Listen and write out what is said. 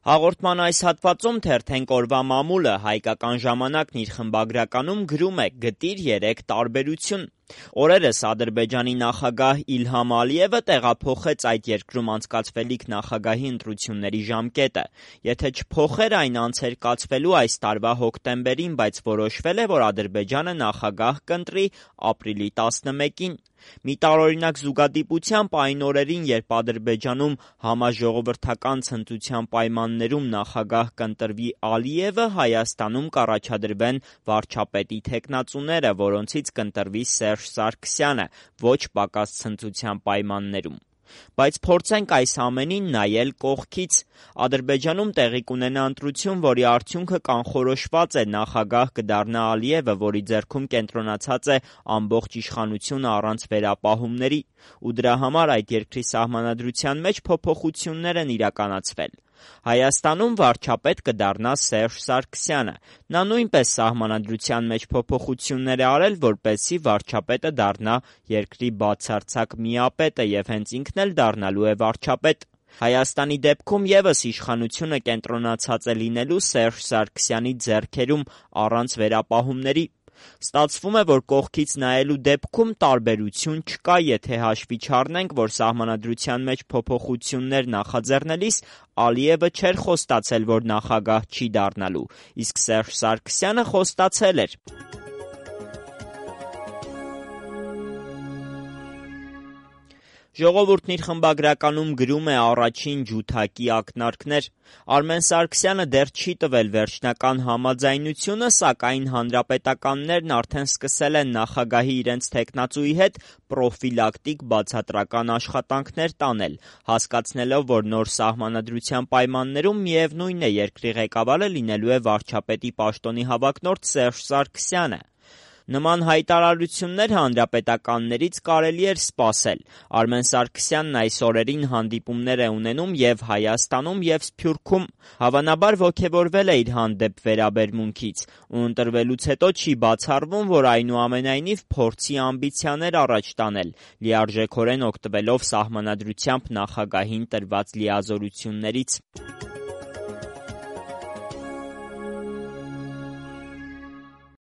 Հաղորդման այս հատվածում թերթենք օրվա մամուլը, հայկական ժամանակն իր խմբագրականում գրում է «Գտիր 3 տարբերություն»։ Օրերս Ադրբեջանի նախագահ Իլհամ Ալիևը տեղափոխեց այդ երկրում անցկացվելիք նախագահի ընտրությունների ժամկետը։ Եթե չփոխեր, այն անց էր կացվելու այս տարվա հոկտեմբերին, բայց որոշվել է, որ Ադրբեջանը նախագահ կընտրի ապրիլի 11-ին։ Մի տարօրինակ զուգադիպությամբ այն օրերին, երբ Ադրբեջանում համաժողովրդական ցնծության պայմաններում նախագահ կընտրվի Ալիևը, Հայաստանում կառաջադրվեն վարչապետի թեկնածուները, որոնցից կընտրվի Սերժ Սարգսյանը, ոչ պակաս ցնծության պայմաններում։ Բայց փորձենք այս ամենին նայել կողքից։ Ադրբեջանում տեղի կունենա ընտրություն, որի արդյունքը կանխորոշված է, նախագահ կդառնա Ալիևը, որի ձեռքում կենտրոնացած է ամբողջ իշխանությունը առանց վերապահումների, ու դրա համար այդ երկրի սահմանադրության մեջ փոփոխություններ են իրականացվել։ Հայաստանում վարչապետ կդառնա Սերժ Սարգսյանը։ Նա նույնպես սահմանադրության մեջ փոփոխություններ է արել, որպեսզի վարչապետը դառնա երկրի բացարձակ միապետը և հենց ինքն էլ դառնալու է վարչապետ։ Հայաստանի դեպքում ևս իշխանությունը կենտրոնացած է լինելու Սերժ Սարգսյանի ձեռքերում առանց վերապահումների։ Ստացվում է, որ կողքից նայելու դեպքում տարբերություն չկա, եթե հաշվի չառնենք, որ սահմանադրության մեջ փոփոխություններ նախաձեռնելիս Ալիևը չէր խոստացել, որ նախագահ չի դառնալու, իսկ Սերժ Սարգսյանը խոստացել էր։ Ժողովուրդն իր խմբագրականում գրում է առաջին ջութակի ակնարկներ։ Արմեն Սարգսյանը դեռ չի տվել վերջնական համաձայնությունը, սակայն հանրապետականներն արդեն սկսել են նախագահի իրենց թեկնածուի հետ պրոֆիլակտիկ բացատրական աշխատանքներ տանել, հասկացնելով, որ նոր սահմանադրության պայմաններում միևնույն է, երկրի ղեկավարը լինելու է վարչապետի պաշտոնի հավակնորդ Սերժ Սարգսյանը։ Նման հայտարարություններ հանրապետականներից կարելի էր սպասել։ Արմեն Սարգսյանն այս օրերին հանդիպումներ է ունենում և Հայաստանում, և Սփյուռքում։ Հավանաբար ոգևորվել է իր հանդեպ վերաբերմունքից, ու ընտրվելուց հետո չի բացառվում, որ այնուամենայնիվ փորձի ամբիցիաներ առաջ տանել, լիարժեքորեն օգտվելով սահմանադրությամբ նախագահին տրված լիազորություններից։